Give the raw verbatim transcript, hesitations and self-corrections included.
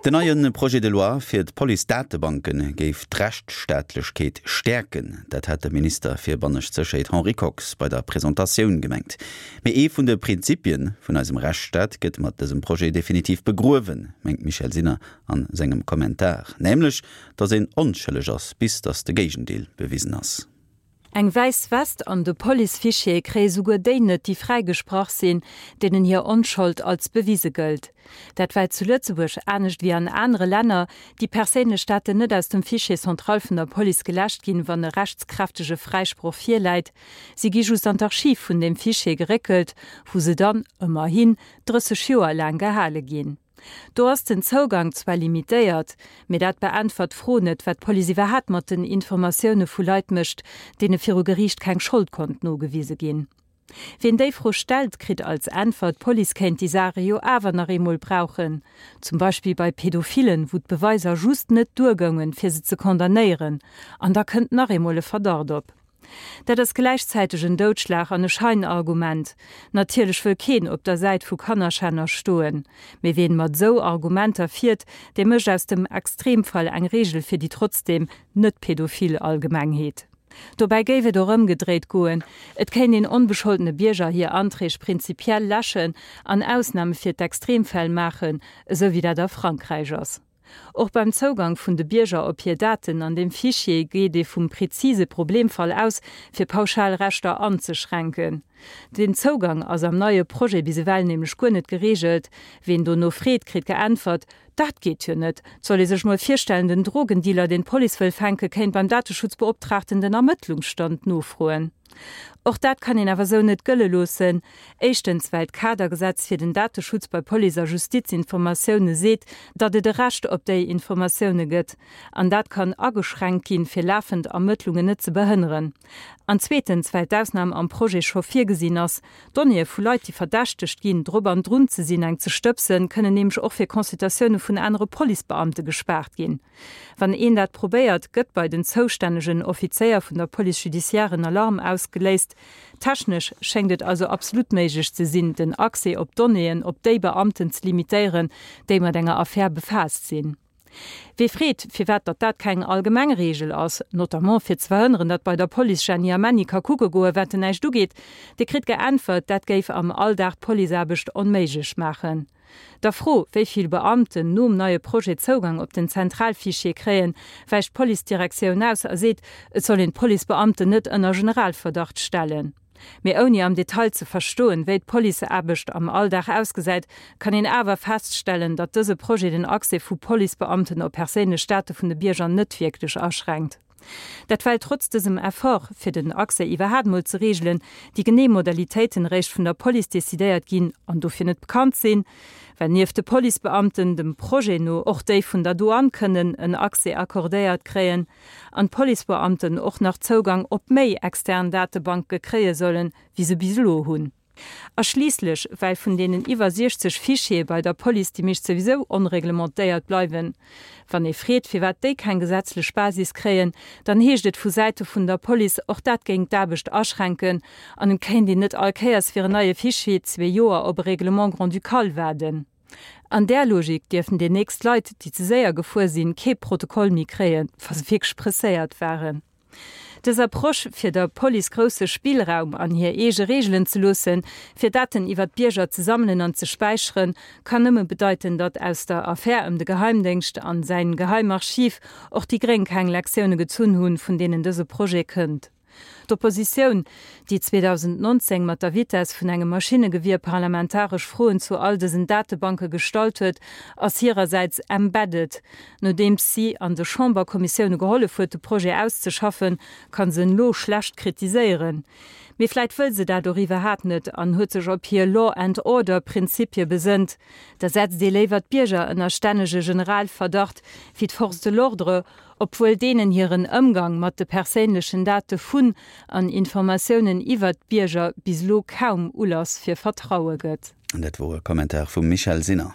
Den neie Projet de loi fir d'Police-Datebanke géif d'Rechtsstaatlechkeet stäerken. Dat hat de Minister fir bannescht Sécherheet Henri Kox bei der Presentatioun gemengt. Mee ee vun de Prinzipie vun eisem Rechtsstaat gëtt mat dësem Projet definitiv begruewen, mengt d'Michèle Sinner an sengem Kommentar. Nämlech, datt een onschëlleg ass, bis datt de Géigendeel bewisen ass. Eng wäiss West an de Police-Fichiere kréie souguer déi net, déi fräigesprach sinn, deenen hir Onschold als bewise gëllt. Dat well zu Lëtzebuerg, anescht wéi an anere Länner, déi perséinlech Daten net aus dem Fichier central vun der Police geläscht ginn, wann e rechtskräftege Fräisproch virläit. Si gi just an d'Archiv vun deem Fichier geréckelt, wou se dann, ëmmerhin, drësseg Joer laang gehale ginn. Do ass den Zougang zwar limitéiert, mee dat beäntwert d'Fro net, wat d'Police iwwerhaapt mat den Informatioune vu Leit mécht, deene viru Geriicht keng Schold konnt nogewise ginn. Wien déi Fro stellt, kritt als Äntwert, d'Police kéint déi Saache jo awer nach eemol brauchen, zum Beispill bei Pädophilen, wou d'Beweiser just net duergoungen, fir se ze condamnéieren, an da kënnt nach eemol e Verdacht op. Dat ass gläichzäiteg en Doudschlag an e Scheinargument. Natierlech wëll keen op der Säit vu Kannerschänner stoen. Mee wien mat esou Argumenter fiert, dee mécht aus dem Extremfall eng Reegel fir déi trotzdeem net pädophil Allgemengheet. Dobäi géif et och ëmgedréit goen, Et kéint een onbescholtene Bierger hir Anträg prinzipiell läschen an Ausname fir d'Extremfäll maachen, esou wéi dat a Frankräich ass. Och beim Zougang vun de Bierger op hir Daten an deem Fichier geet ee vum prezise Problemfall aus, fir pauschal Rechter anzeschränken. Den Zougang ass am neie Projet bis ewell nämlech guer net gereegelt. Ween dono freet, kritt geäntwert, Dat geet jo net! Et soll ee sech mol virstellen, den Drogendealer, deen d'Police wëll fänken, kéint beim Dateschutzbeoptraagten den Ermëttlungsstand nofroen. Och dat kann een awer sou net gëlle loossen. Éischtens, well d'Kadergesetz fir den Dateschutz bei Police a Justizinformatioune seet, datt et e Recht op déi Informatioune gëtt. An dat kann ageschränkt ginn, fir lafend Ermëttlungen net ze behënneren. An zweetens, well d'Ausnam am Projet scho virgesinn ass. Donnéeë vu Leit, déi verdächtegt ginn, drop an drun ze sinn, eng ze stëbsen, kënnen nämlech och fir Consultatioune vun anere Policebeamte gespaart ginn. Wann een dat probéiert, gëtt bei den zoustännegen Offizéier vun der Police judiciaire en Alarm ausgeléist. Technesch schéngt et also absolut méiglech ze sinn, den Accès op Donnéeën op déi Beamten ze limitéieren, déi mat enger Affär befaasst sinn. Wie freet, firwat datt dat keng allgemeng Reegel ass, notamment fir ze verhënneren, datt bei der Police Jeanny a Männi ka kucke goen, wat en näischt ugeet, dee kritt geäntwert, dat géif am Alldag d'Policeaarbecht onméiglech maachen. Der Fro, wéi vill Beamten nom neie Projet Zougang op den Zentralfichier kréien, wäicht d'Policedirektioun aus a seet, et soll een d'Policebeamten net ënner Generalverdacht stellen. Mee ouni am Detail ze verstoen, wéi d'Policeaarbecht am Alldag ausgesäit, kann een awer feststellen, datt dëse Projet den Accès vu Policebeamten op perséinlech Date vun de Bierger net wierklech aschränkt. Dat well trotz dësem Effort, fir den Accès iwwerhaat mol ze reegelen, déi genee Modalitéiten eréischt vun der Police decidéiert ginn an dofir net bekannt sinn, well nieft de Policebeamten dem Projet no och déi vun der Douane kënnen en Accès accordéiert kréien an d'Policebeamten och nach Zougang op méi extern Datebanke kréie sollen, wéi se bis elo hunn. A schliisslech, well vun deenen iwwer siechzeg Fichiere bei der Police déi meescht souwisou onreglementéiert bleiwen. Wann ee freet, firwat déi keng gesetzlech Basis kréien, dann heescht et vu Säite vun der Police, och dat géing d'Aarbecht aschränken an et kéint een net all Kéiers fir en neie Fichier zwee Joer op e Règlement grand-ducal waarden. An där Logik dierften déi nächst Leit, déi ze séier gefuer sinn, kee Protokoll méi kréien, wa se wierklech presséiert waren. Dës Approche, fir der Police grousse Spillraum an hir eege Reegelen ze loossen, fir Daten iwwer d'Bierger ze sammelen an ze späicheren, kann nëmme bedeiten, datt aus der Affär ëm de Geheimdéngscht an säin Geheimarchiv och déi Gréng keng Lektioune gezunn hunn, vun deenen dëse Projet kënnt. D'Oppositioun, déi zweedausendnonzéng mat der Vitess vun engem Maschinnegewier parlamentaresch Froen zu all dësen Datebanke gestallt huet, ass hirersäits embedded. Nodeems si an de Chamberkommissioune gehollef huet, de Projet auszeschaffen, kann se en elo schlecht kritiséieren. Mee vläit wëll se dat och iwwerhaat net an huet sech op hir Law and Order Prinzipie besënnt. Da setzt ee léiwer d'Bierger ënner stännege Generalverdacht wéi d'Forces de l'ordre, obwuel deenen hiren Ëmgang mat de perséinlechen Date vun an Informatiounen iwwert d'Bierger bis elo kaum Ulass fir Vertraue gëtt. An dat wor e Kommentar vum Michèle Sinner.